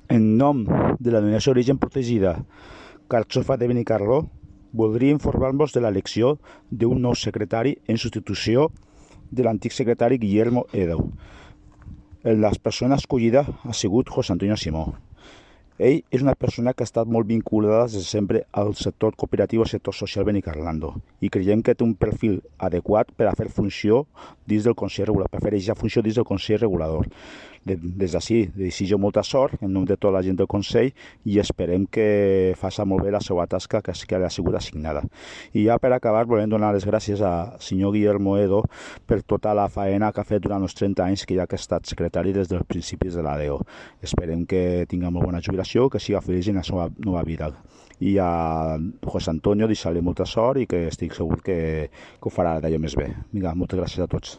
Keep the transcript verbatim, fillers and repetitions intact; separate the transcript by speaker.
Speaker 1: En nom de la Denominació d'Origen Protegida Carxofa de Benicarló, voldria informar-vos de l'elecció d'un nou secretari en substitució de l'antic secretari Guillermo Edo. La persona escollida ha sigut José Antonio Simó. Ell és una persona que ha estat molt vinculada des de sempre al sector cooperatiu, al sector social benicarlando, i creiem que té un perfil adequat per a fer funció dins del Consell Regulador, per fer aquesta funció dins del Consell Regulador. Des d'ací, desitjo molta sort en nom de tota la gent del Consell i esperem que faci molt bé la seva tasca que li ha sigut assignada. I ja per acabar, volem donar les gràcies al senyor Guillermo Edo per tota la faena que ha fet durant els trenta anys que ja que ha estat secretari des dels principis de l'A D E O. Esperem que tingui molt bona jubilació, que siga feliç en la seva nova vida. I a José Antonio deixar-li molta sort i que estic segur que, que ho farà d'allò més bé. Vinga, moltes gràcies a tots.